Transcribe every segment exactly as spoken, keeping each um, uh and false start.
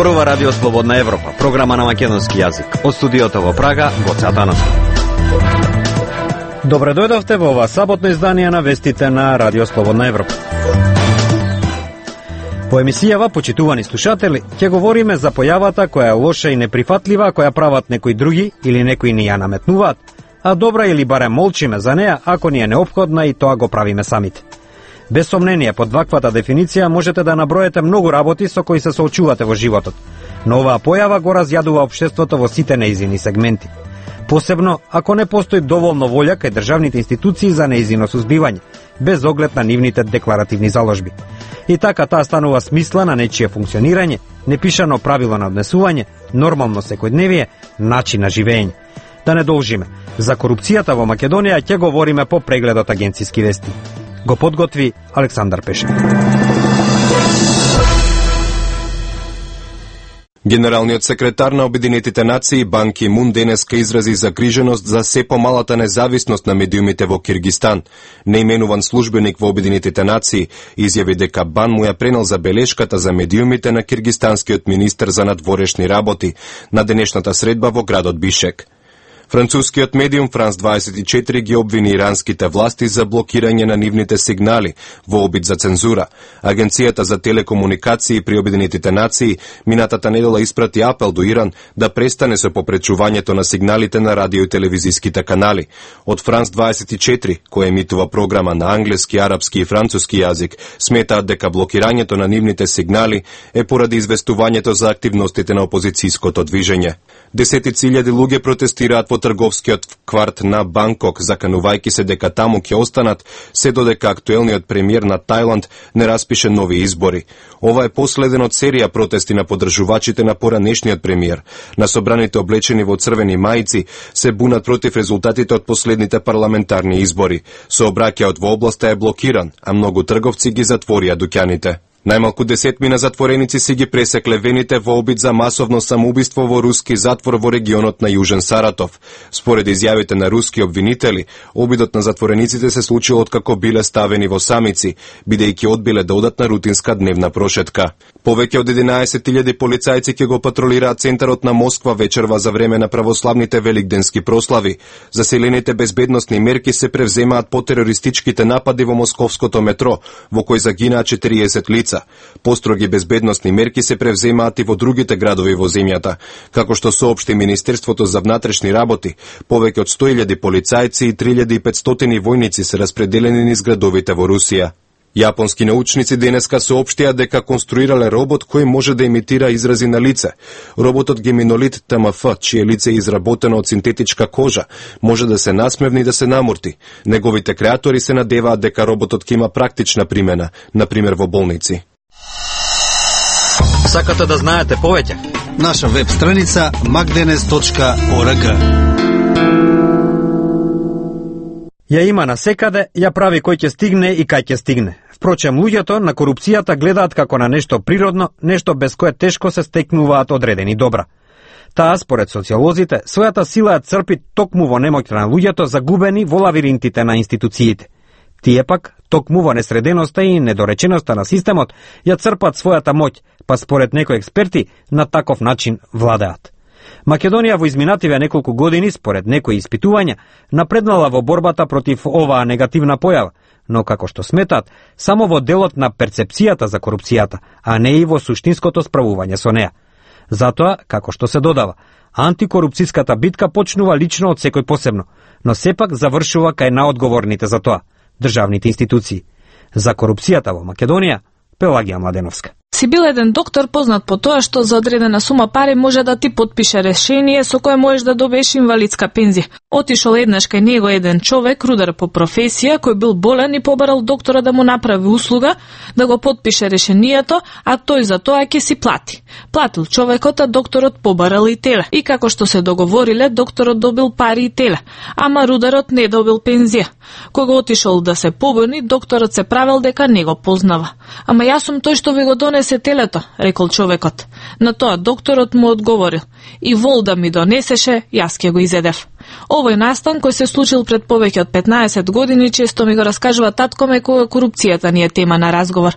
Зборува Радио Слободна Европа, програма на македонски јазик. Од студиото во Прага, Гоце Атанасов. Добре дојдовте во ова саботно издание на вестите на Радио Слободна Европа. По емисијава, почитувани слушатели, ќе говориме за појавата која е лоша и неприфатлива, која прават некои други или некои ни ја наметнуваат, а добра или барем молчиме за неа ако ни е неопходна и тоа го правиме самите. Без сомнение, под ваквата дефиниција можете да наброете многу работи со кои се соочувате во животот, но оваа појава го разјадува општеството во сите неизини сегменти. Посебно, ако не постои доволно волја кај државните институции за неизино сузбивање, без оглед на нивните декларативни заложби. И така таа станува смисла на нечие функционирање, непишано правило на однесување, нормално секојдневие, начин на живење. Да не должиме, за корупцијата во Македонија ќе говориме по прегледот агенцијски вести. Го подготви Александар Пешев. Генералниот секретар на Обединетите нации Бан Ки Мун денеска изрази загриженост за се помалата независност на медиумите во Киргистан. Неименуван службеник во Обединетите нации изјави дека Бан му ја пренел забелешката за медиумите на киргистанскиот министер за надворешни работи на денешната средба во градот Бишек. Францускиот медиум Франс дваесет и четири ги обвини иранските власти за блокирање на нивните сигнали во обид за цензура. Агенцијата за телекомуникации при Обединетите нации минатата недела испрати апел до Иран да престане со попречувањето на сигналите на радио и телевизиските канали. Од Франс дваесет и четири, кој емитува програма на англиски, арапски и француски јазик, сметаат дека блокирањето на нивните сигнали е поради известувањето за активностите на опозицијското движење. Десетици илјади луѓе протестираат во трговскиот кварт на Банкок, заканувајќи се дека таму ќе останат се додека актуелниот премиер на Тајланд не распише нови избори. Ова е последен од серија протести на поддржувачите на поранешниот премиер. На собраните облечени во црвени мајци се бунат против резултатите од последните парламентарни избори. Сообраќајот во областа е блокиран, а многу трговци ги затворија дуќаните. Најмалку десетмина затвореници си ги пресекле вените во обид за масовно самоубиство во руски затвор во регионот на Јужен Саратов. Според изјавите на руски обвинители, обидот на затворениците се случил откако биле ставени во самици, бидејќи одбиле да одат на рутинска дневна прошетка. Повеќе од единаесет илјади полицајци ќе го патролираат центарот на Москва вечерва за време на православните великденски прослави. Заселените безбедносни мерки се превземаат по терористичките напади во московското метро, во кој загинаа четириесет лица. Построги безбедносни мерки се превземаат и во другите градови во земјата. Како што соопшти Министерството за внатрешни работи, повеќе од сто илјади полицајци и три илјади и петстотини војници се распределени низ градовите во Русија. Јапонски научници денеска соопштија дека конструирале робот кој може да имитира изрази на лице. Роботот Геминолит Т М Ф, чие лице е изработено од синтетичка кожа, може да се насмевни и да се намурти. Неговите креатори се надеваат дека роботот ќе има практична примена, например во болници. Сакате да знаете повеќе? Наша веб страница макденес точка орг. Ја има насекаде, ја прави кој ќе стигне и кај ќе стигне. Впрочем, луѓето на корупцијата гледаат како на нешто природно, нешто без кое тешко се стекнуваат одредени добра. Таа, според социолозите, својата сила ја црпи токму во немоќта на луѓето загубени во лавиринтите на институциите. Тие пак, токму во несреденоста и недореченоста на системот, ја црпат својата моќ, па според некои експерти, на таков начин владеат. Македонија во изминативе неколку години, според некои испитувања, напреднала во борбата против оваа негативна појава, но како што сметат, само во делот на перцепцијата за корупцијата, а не и во суштинското справување со неа. Затоа, како што се додава, антикорупцијската битка почнува лично од секој посебно, но сепак завршува кај наодговорните за тоа, државните институции. За корупцијата во Македонија, Пелагија Младеновска. Си бил еден доктор познат по тоа што за одредена сума пари може да ти подпише решение со кое можеш да добиеш инвалидска пензија. Отишол еднаш кај него еден човек, рудар по професија, кој бил болен и побарал доктора да му направи услуга, да го подпише решението, а тој за тоа ќе си плати. Платил човекот, а докторот побарал и теле. И како што се договориле, докторот добил пари и теле, ама рударот не добил пензија. Кога отишол да се побуни, докторот се правил дека не го познава. Ама јас сум тој што ви го донесе телето, рекол човекот. На тоа докторот му одговорил: и вол да ми донесеше, јас ќе го изедев. Овој настан кој се случил пред повеќе од петнаесет години често ми го раскажува таткоме кога корупцијата ни е тема на разговор.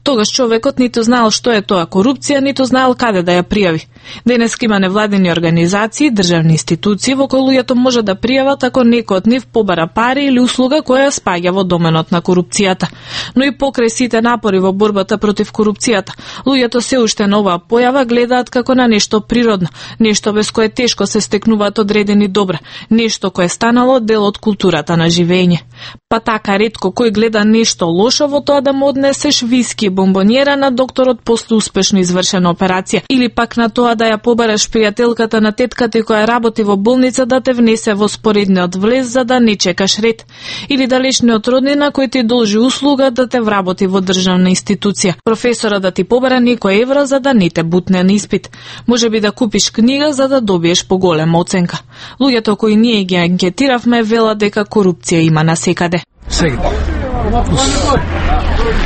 Тогаш човекот ниту знаел што е тоа корупција, ниту знаел каде да ја пријави. Денеска има невладени организации, државни институции во кои луѓето може да пријават ако некој од нив побара пари или услуга која спаѓа во доменот на корупцијата. Но и покрај сите напори во борбата против корупцијата, луѓето се уште на оваа појава гледаат како на нешто природно, нешто без кое тешко се стекнуваат одредени добра, нешто кое станало дел од културата на живење. Па така ретко кој гледа нешто лошо во тоа да му однесеш виски и бомбонјера на докторот после успешно извршена операција, или пак на тоа да ја побараш пријателката на тетката која работи во болница да те внесе во споредниот влез за да не чекаш ред, или далечниот роднина кој ти должи услуга да те вработи во државна институција, професора да ти побара некој евро за да не те бутне на испит, можеби да купиш книга за да добиеш поголема оценка. Луѓето кои ние ги анкетиравме велат дека корупција има насекаде. Сегде.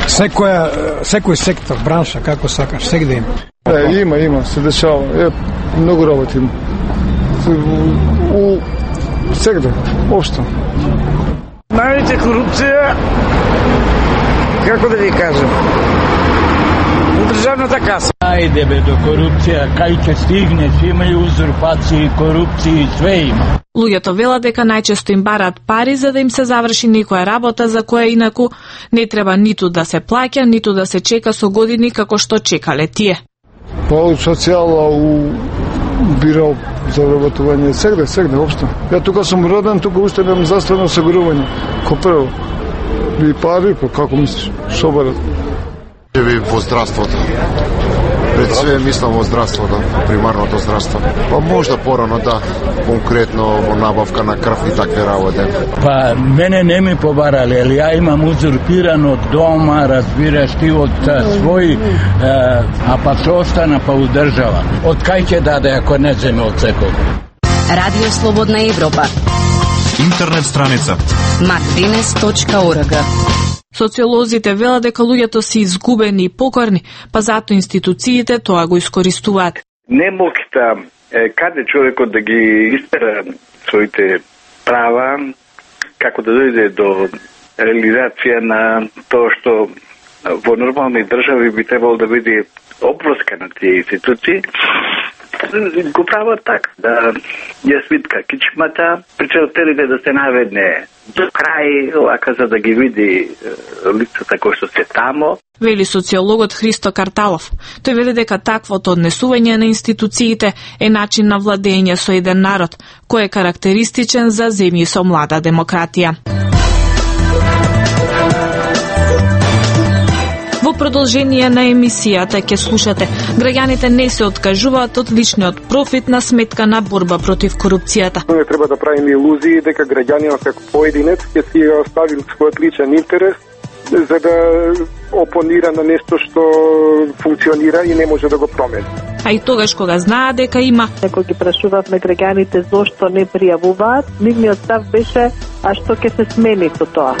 Секоја, секој сектор, бранша, како сакаш, сегде има. Е, има, има, се дешава. Е, многу работи има. У, сегде, општо. Највеќе корупција, како да ви кажам, у државната каса. Ајде бе, до корупција, кај ќе стигне, има и узурпации, корупции, све има. Луѓето велат дека најчесто им бараат пари за да им се заврши некоја работа за која инаку не треба ниту да се плаќа, ниту да се чека со години како што чекале тие. Па од социјала у бирал за вработување, сегде, сегде, општо. Ја тука сум роден, тука уште немам заствено осигурување. Ко прво. И пари, па како мислиш, шо барат? Ви во здравството. Пред све мислам во здравството, примарното здравство. Па можда порано да, конкретно во набавка на крв и такви работи. Па мене не ми побарале, али ја имам узурпирано од дома, разбираш ти од свој, е, а па се остана па удржава. Од кај ќе даде ако не земе од секој? Радио Слободна Европа. Интернет страница мак денес точка орг. Социолозите велат дека луѓето се изгубени и покорни, па зато институциите тоа го искористуваат. Немокта каде човекот да ги истера своите права, како да дојде до реализација на тоа што во нормални држави би требало да биде обврска на тие институции, го прават така, да ја свитка кичмата, причем телите да се наведне до крај, лака за да ги види лицата кои што се тамо. Вели социологот Христо Карталов. Тој вели дека таквото однесување на институциите е начин на владење со еден народ, кој е карактеристичен за земји со млада демократија. Во продолжение на емисијата ќе слушате: граѓаните не се откажуваат од личниот профит на сметка на борба против корупцијата. Не треба да правиме илузии дека граѓанинот како поединец ќе си остави својот личен интерес за да опонира на нешто што функционира и не може да го промени. А и тогаш кога знаа дека има, Кога ги прашувавме граѓаните зошто не пријавуваат, нивниот став беше: а што ќе се смени со тоа?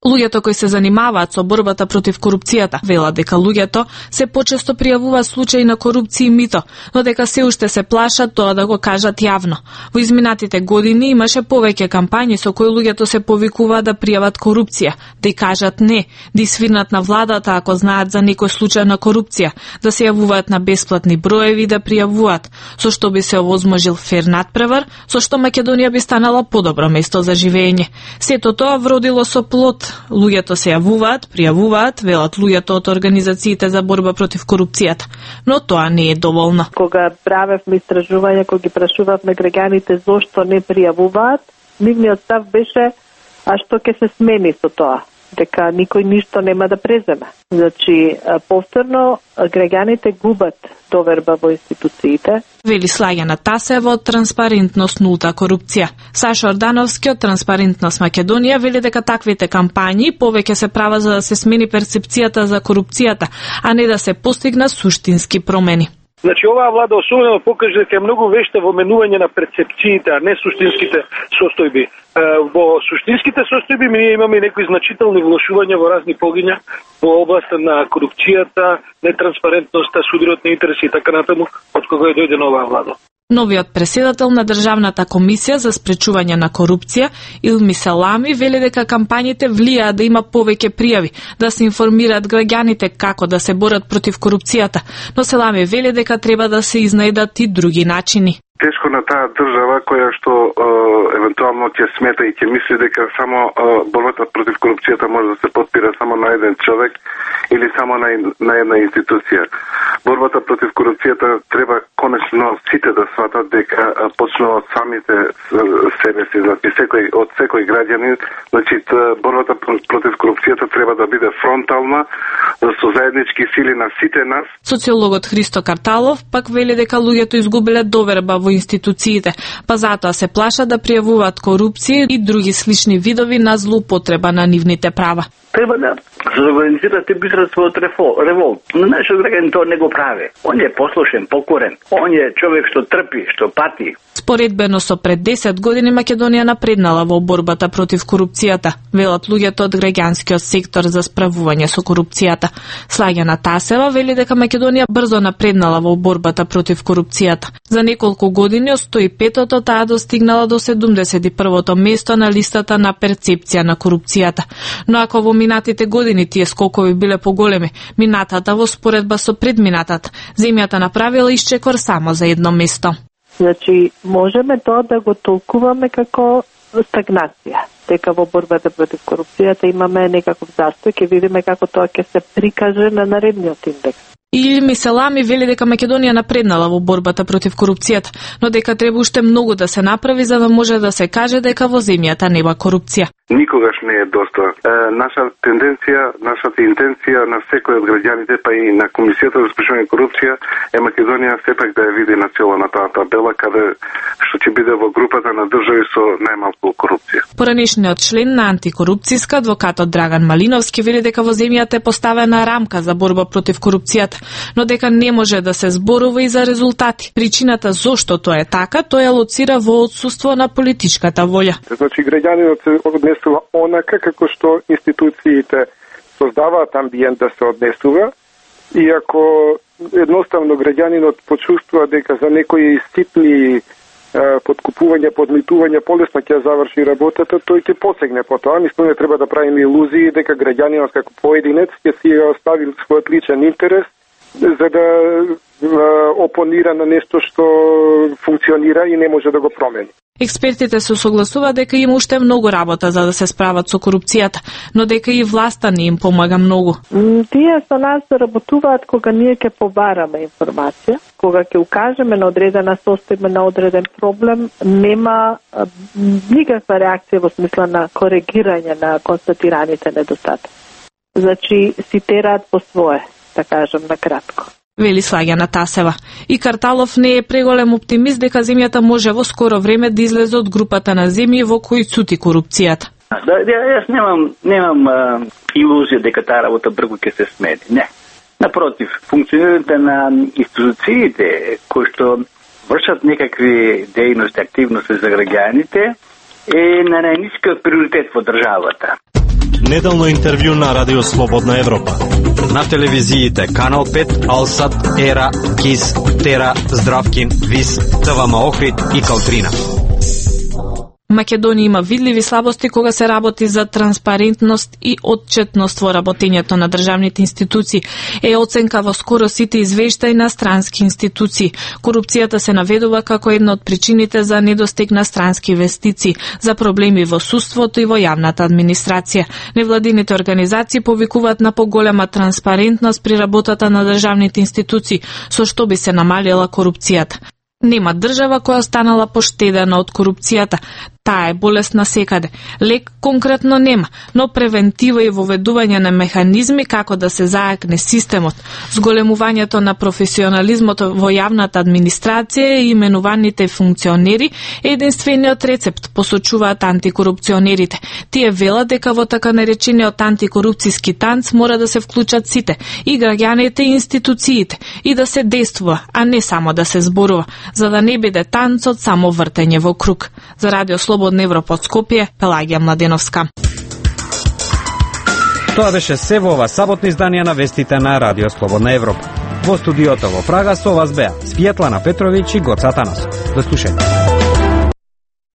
Луѓето кои се занимаваат со борбата против корупцијата велат дека луѓето се почесто пријавуваат случаи на корупција и мито, но дека се уште се плашат тоа да го кажат јавно. Во изминатите години имаше повеќе кампањи со кои луѓето се повикуваат да пријават корупција, да и кажат не, да свирнат на владата ако знаат за некој случај на корупција, да се јавуваат на бесплатни броеви да пријавуваат, со што би се овозможил фер надпревар, со што Македонија би станала подобро место за живење. Сето тоа вродило со плод. Луѓето се јавуваат, пријавуваат, велат луѓето од организациите за борба против корупцијата, но тоа не е доволно. Кога правевме истражување, кога ги прашувавме граѓаните зошто не пријавуваат, нивниот став беше: а што ќе се смени со тоа? Дека никој ништо нема да преземе. Значи, повторно, граѓаните губат доверба во институциите. Вели Слаѓана Тасева од Транспарентност нулта корупција. Саша Ордановски од Транспарентност Македонија вели дека таквите кампањи повеќе се прават за да се смени перцепцијата за корупцијата, а не да се постигнат суштински промени. Значи, оваа влада особено покажа дека е многу вешта во менување на перцепциите, а не суштинските состојби. Во суштинските состојби ние имаме некои значителни влошувања во разни полгиња во областа на корупцијата, нетранспарентноста, судирот на интереси и така натаму, од кога е дојде оваа влада. Новиот преседател на Државната комисија за спречување на корупција, Илми Селами, вели дека кампањите влијаат да има повеќе пријави, да се информираат граѓаните како да се борат против корупцијата, но Селами вели дека треба да се изнајдат и други начини. Тешко на таа држава која што е, евентуално ќе смета и ќе мисли дека само е, борбата против корупцијата може да се подпира само на еден човек или само на, на една институција. Борбата против корупцијата треба конечно сите да сватат дека почнува од самите себе си, значи секој од секој граѓанин, значи борбата против корупцијата треба да биде фронтална со заеднички сили на сите нас. Социологот Христо Карталов пак вели дека луѓето изгубиле доверба во институциите, па затоа се плашат да пријавуваат корупција и други слични видови на злоупотреба на нивните права. Треба да се организирате битра својот револт. Но нашиот граѓанин тоа не го прави. Он е послушен, покорен. Он е човек што трпи, што пати. Споредбено со пред десет години Македонија напреднала во борбата против корупцијата, велат луѓето од граѓанскиот сектор за справување со корупцијата. Слагјана Тасева вели дека Македонија брзо напреднала во борбата против корупцијата. За неколку години од сто и петото таа достигнала до седумдесет и првото место на листата на перцепција на корупцијата. Но ако во минатите години тие скокови биле поголеми, минатата во споредба со предминатата, земјата направила исчекор само за едно место. Значи, можеме тоа да го толкуваме како стагнација. Дека во борбата против корупцијата имаме некаков застој, ќе видиме како тоа ќе се прикаже на наредниот индекс. Илми Селами вели дека Македонија напреднала во борбата против корупцијата, но дека треба уште многу да се направи за да може да се каже дека во земјата нема корупција. Никогаш не е доста. Е, наша тенденција, нашата интенција на секој од граѓаните, па и на Комисијата за спречување корупција е Македонија сепак да ја види на цело на таа табела, каде што ќе биде во групата на држави со најмалку корупција. Поранешниот член на антикорупцијска, адвокатот Драган Малиновски, вели дека во земјата е поставена рамка за борба против корупцијата, но дека не може да се зборува и за резултати. Причината зошто тоа е така, тоа ја лоцира во отсуство на политичката волја. Значи граѓанинот се однесува онака како што институциите создаваат амбиент да се однесува, и ако едноставно граѓанинот почувствува дека за некои ситни подкупување, подмитување полесно ќе заврши работата, тој ќе посегне по тоа. Мислам не треба да правиме илузии дека граѓанинот како поединец ќе си остави својот личен интерес за да опонира на нешто што функционира и не може да го промени. Експертите се согласуваат дека има уште многу работа за да се справат со корупцијата, но дека и власта не им помага многу. Тие со нас работуваат кога ние ќе побараме информација, кога ќе укажеме на одредена состојба, на одреден проблем, нема никаква реакција во смисла на коригирање на констатираните недостатоци. Значи си тераат по свое, да кажам на кратко. Вели Слагјана Тасева. И Карталов не е преголем оптимист дека земјата може во скоро време да излезе од групата на земји во кои цути корупцијата. Да, јас немам немам а, илузија дека таа работа брзо ќе се смени. Не. Напротив, функционирањето на институциите кои што вршат некакви дејности, активности за граѓаните е на најнискиот приоритет во државата. Неделно интервју на Радио Слободна Европа. На телевизиите Канал пет, Алсат, Ера, Кис, Тера, Здравкин, Вис, ТВМ Охрид и Калтрина. Македонија има видливи слабости кога се работи за транспарентност и отчетност во работењето на државните институции, е оценка во скоро сите извештаи на странски институции. Корупцијата се наведува како една од причините за недостиг на странски инвестиции, за проблеми во судството и во јавната администрација. Невладините организации повикуваат на поголема транспарентност при работата на државните институции, со што би се намалила корупцијата. Нема држава која останала поштедена од корупцијата. Таа е болест насекаде. Лек конкретно нема, но превентива и воведување на механизми како да се заакне системот, зголемувањето на професионализмот во јавната администрација и именуваните функционери е единствениот рецепт, посочуваат антикорупционерите. Тие велат дека во така наречениот антикорупцијски танц мора да се вклучат сите, и граѓаните и институциите, и да се действува, а не само да се зборува, за да не биде танцот само вртење во круг. За Радио Слободна Европа од Скопје, Пелагија Младеновска. Тоа беше се во ова саботно издание на вестите на Радио Слободна Европа. Во студиото во Прага со вас беа Светлана Петровиќ и Гоца Танасов. До слушање.